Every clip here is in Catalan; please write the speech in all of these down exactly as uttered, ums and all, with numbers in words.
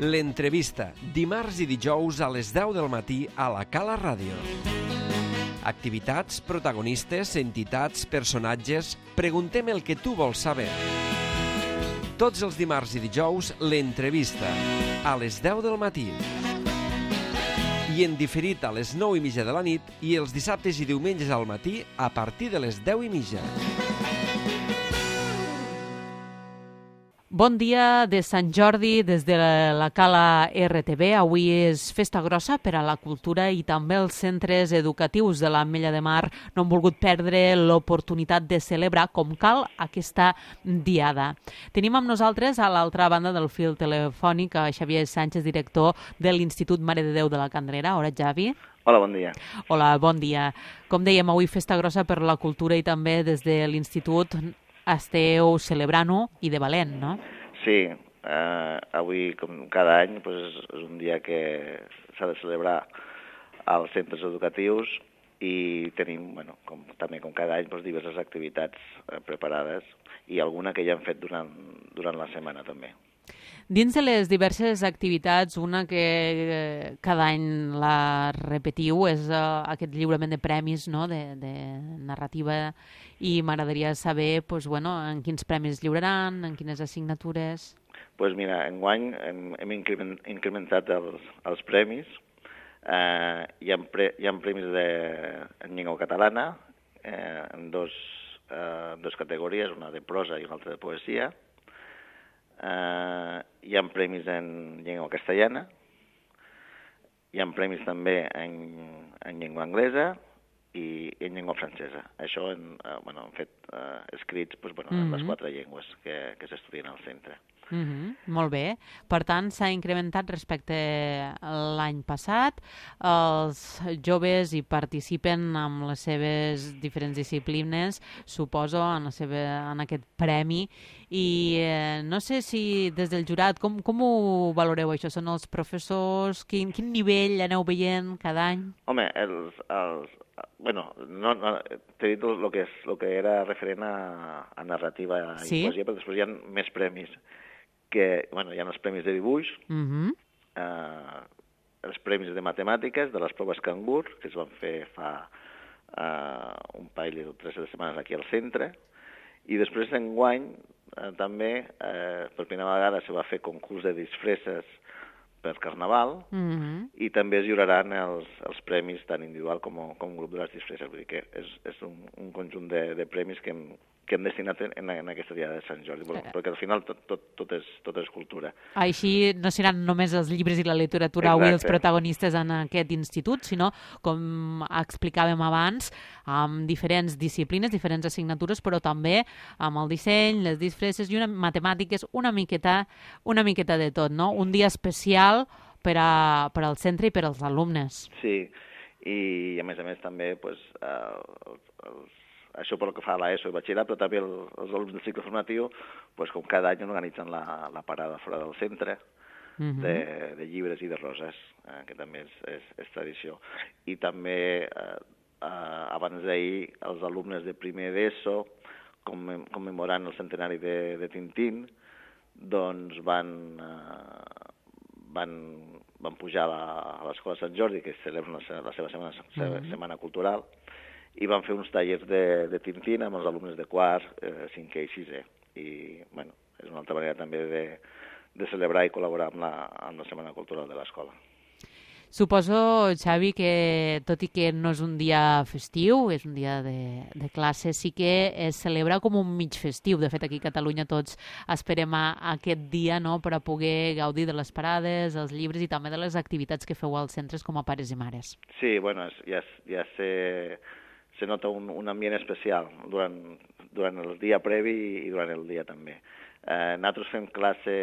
L'entrevista, dimarts i dijous a les deu del matí a la Cala Ràdio. Activitats, protagonistes, entitats, personatges... Preguntem el que tu vols saber. Tots els dimarts i dijous, l'entrevista, a les deu del matí. I en diferit a les nou i mitja de la nit i els dissabtes i diumenges al matí a partir de les deu i mitja. Bon dia de Sant Jordi des de la Cala R T V. Avui és festa grossa per a la cultura i també els centres educatius de l'Ametlla de Mar no han volgut perdre l'oportunitat de celebrar com cal aquesta diada. Tenim amb nosaltres a l'altra banda del fil telefònic a Xavier Sánchez, director de l'Institut Mare de Déu de la Candrera. Hola, Xavi. Hola, bon dia. Hola, bon dia. Com dèiem, avui festa grossa per la cultura i també des de l'Institut esteu celebrant-ho i de valent, no? Sí, eh, avui, com cada any, doncs, és un dia que s'ha de celebrar als centres educatius i tenim, bueno, com, també com cada any, doncs, diverses activitats eh, preparades i alguna que ja hem fet durant, durant la setmana també. Dins de les diverses activitats, una que eh, cada any la repetiu és eh, aquest lliurament de premis, no?, de, de narrativa, i m'agradaria saber pues, bueno, en quins premis lliuraran, en quines assignatures... Doncs pues mira, enguany hem, hem incrementat els, els premis. Eh, hi, ha pre, hi ha premis de, en llengua catalana, eh, en dos, eh, dos categories, una de prosa i una altra de poesia. Uh, hi ha premis en llengua castellana, hi ha premis també en, en llengua anglesa i en llengua francesa. Això en, uh, bueno, han fet uh, escrits pues, bueno, mm-hmm. en les quatre llengües que, que s'estudien al centre. Mm-hmm. Molt bé. Per tant, s'ha incrementat respecte a l'any passat. Els joves hi participen amb les seves diferents disciplines, suposo, en, la seva, en aquest premi. I eh, no sé si des del jurat, com, com ho valoreu això? Són els professors? Quin, quin nivell aneu veient cada any? Home, els... els bueno, no, no, t'he dit el que, és, el que era referent a, a narrativa i sí? poesia, però després hi ha més premis. Que, bueno, hi ha els premis de dibuix, uh-huh. eh, els premis de matemàtiques, de les proves Cangur, que es van fer fa eh, un parell de tres setmanes aquí al centre, i després d'enguany eh, també, eh, per primera vegada, se va fer concurs de disfresses per Carnaval, uh-huh. i també es lliuraran els, els premis tant individual com, com grup de les disfresses. Vull dir que és, és un, un conjunt de, de premis que hem, que hem destinat en, en aquesta diada de Sant Jordi, eh. perquè al final tot, tot, tot, és, tot és cultura. Així no seran només els llibres i la literatura avui els protagonistes en aquest institut, sinó, com explicàvem abans, amb diferents disciplines, diferents assignatures, però també amb el disseny, les disfresses i una matemàtiques, una miqueta, una miqueta de tot, no? Un dia especial per, a, per al centre i per als alumnes. Sí, i a més a més també pues, eh, els, els això pel que fa a l'ESO i batxillerat, però també el, els alumnes del cicle formatiu, pues, com cada any organitzen la, la parada fora del centre uh-huh. de, de llibres i de roses, eh, que també és, és, és tradició. I també, eh, eh, abans d'ahir, els alumnes de primer d'ESO, commem, commemorant el centenari de, de Tintín, doncs van, eh, van, van pujar a, la, a l'Escola Sant Jordi, que celebra la, la seva setmana, uh-huh. setmana cultural, i van fer uns tallers de, de Tintín amb els alumnes de quart, eh, cinquè i sisè. I, bueno, és una altra manera també de, de celebrar i col·laborar amb la, amb la Setmana Cultural de l'escola. Suposo, Xavi, que tot i que no és un dia festiu, és un dia de, de classe, sí que es celebra com un mig festiu. De fet, aquí a Catalunya tots esperem a, a aquest dia, no?, per a poder gaudir de les parades, els llibres i també de les activitats que feu als centres com a pares i mares. Sí, bueno, ja, ja sé... se nota un, un ambient especial durant, durant el dia previ i durant el dia també. Eh, nosaltres fem classe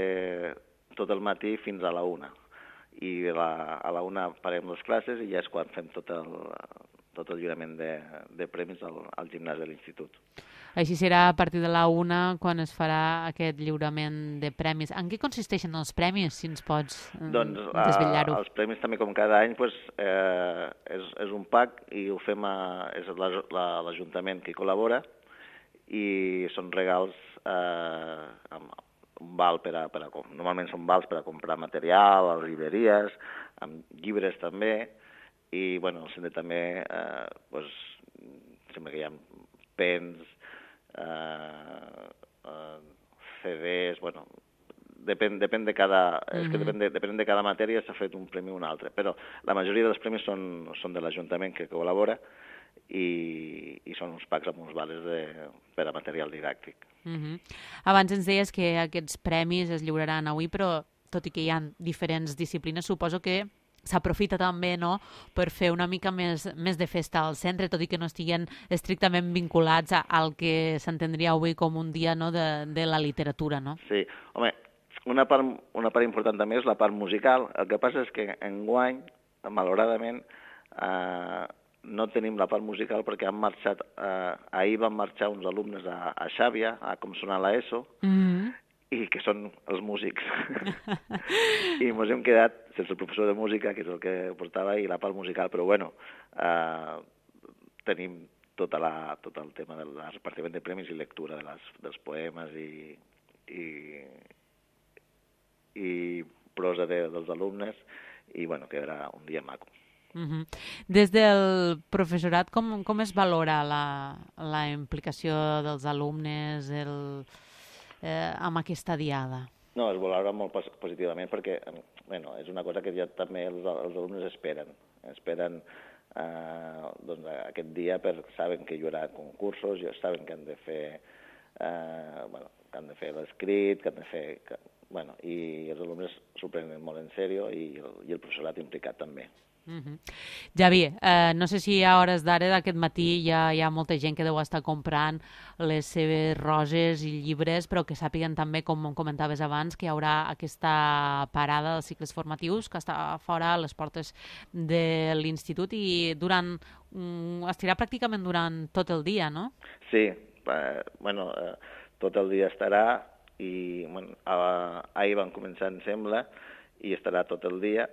tot el matí fins a la una, i la, a la una parem les classes i ja és quan fem tot el, tot el lliurament de, de premis al, al gimnàs de l'institut. Així serà a partir de la una quan es farà aquest lliurament de premis. En què consisteixen els premis, si ens pots eh, doncs, desvetllar-ho? Els premis també, com cada any, pues, eh, és, és un pack i ho fem a, és l'Ajuntament que hi col·labora i són regals, eh, amb, un val per a, per a... Normalment són vals per a comprar material, a les llibreries, amb llibres també, i bueno, al centre també eh, doncs, sembla que hi ha pens, eh, eh, C Ds, bueno, depèn, depèn de cada, mm-hmm. és que depèn de, depèn de cada matèria s'ha fet un premi o un altre, però la majoria dels premis són, són de l'Ajuntament que col·labora i, i són uns packs amb uns vales de, per a material didàctic. Mm-hmm. Abans ens deies que aquests premis es lliuraran avui, però tot i que hi ha diferents disciplines, suposo que s'aprofita també, no?, per fer una mica més, més de festa al centre, tot i que no estiguen estrictament vinculats al que s'entendria avui com un dia, no?, de, de la literatura, no? Sí, home, una part, una part important també és la part musical. El que passa és que enguany, malauradament, eh, no tenim la part musical perquè han marxat, eh, ahir van marxar uns alumnes a, a Xàbia, a com sonar l'ESO, mm-hmm. i que són els músics. I ens hem quedat sense el professor de música, que és el que portava, i la part musical, però bueno, eh, tenim tota la, tot el tema del repartiment de premis i lectura de les, dels poemes i, i, i prosa de, dels alumnes, i bueno, quedarà un dia maco. Uh-huh. Des del professorat, com, com es valora la, la implicació dels alumnes, el... Eh, amb aquesta diada? No, es valora molt positivament perquè bueno, és una cosa que ja també els, els alumnes esperen. Esperen eh, doncs, aquest dia perquè saben que hi haurà concursos, ja saben que han de fer eh, bueno, que han de fer l'escrit, que han de fer... Que, bueno, i els alumnes s'ho prenen molt en sèrio i el, i el professorat implicat també. Uh-huh. Javi, eh, no sé si a hores d'ara d'aquest matí ja hi ha molta gent que deu estar comprant les seves roses i llibres, però que sàpiguen també, com comentaves abans, que hi haurà aquesta parada dels cicles formatius que està fora a les portes de l'institut i durant, um, estirà pràcticament durant tot el dia, no? Sí, eh, bueno, eh, tot el dia estarà i bueno, ahir van començar, em sembla, i estarà tot el dia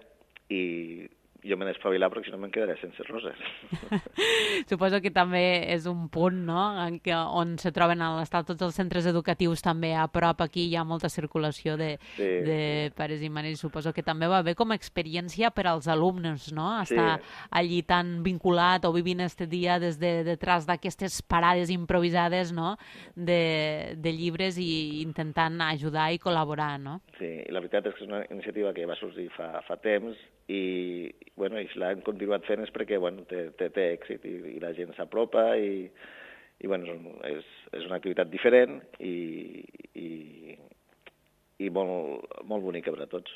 i jo m'he d'espavilar perquè si no me'n quedaré sense roses. Suposo que també és un punt, no?, en què, on se troben a l'estat tots els centres educatius també a prop. Aquí hi ha molta circulació de, sí, de sí. pares i mares. Suposo que també va bé com a experiència per als alumnes, no?, estar sí. allí tan vinculat o vivint este dia des de detrás d'aquestes parades improvisades, no?, de, de llibres i intentant ajudar i col·laborar, no? Sí, i la veritat és que és una iniciativa que va sorgir fa, fa temps i, bueno, i si l'han continuat fent és perquè bueno, té, té, té èxit i, i la gent s'apropa i, i bueno, és, és una activitat diferent i, i, i molt, molt bonica per a tots.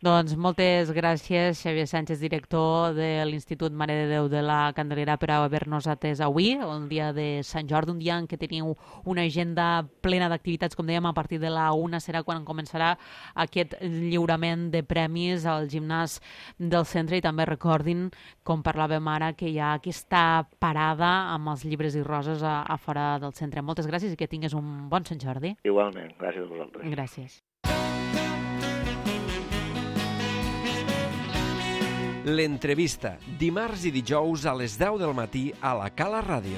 Doncs moltes gràcies, Xavier Sánchez, director de l'Institut Mare de Déu de la Candelera, per haver-nos atès avui, el dia de Sant Jordi, un dia en què teniu una agenda plena d'activitats, com dèiem, a partir de la una serà quan començarà aquest lliurament de premis al gimnàs del centre i també recordin, com parlàvem ara, que hi ha aquesta parada amb els llibres i roses a, a fora del centre. Moltes gràcies i que tingues un bon Sant Jordi. Igualment, gràcies a vosaltres. Gràcies. L'entrevista, dimarts i dijous a les deu del matí a la Cala Ràdio.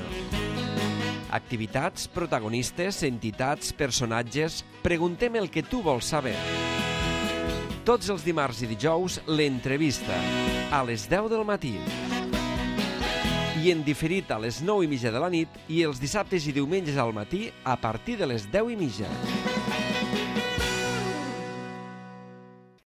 Activitats, protagonistes, entitats, personatges... Preguntem el que tu vols saber. Tots els dimarts i dijous, l'entrevista, a les deu del matí. I en diferit a les nou i mitja de la nit i els dissabtes i diumenges al matí a partir de les deu i mitja.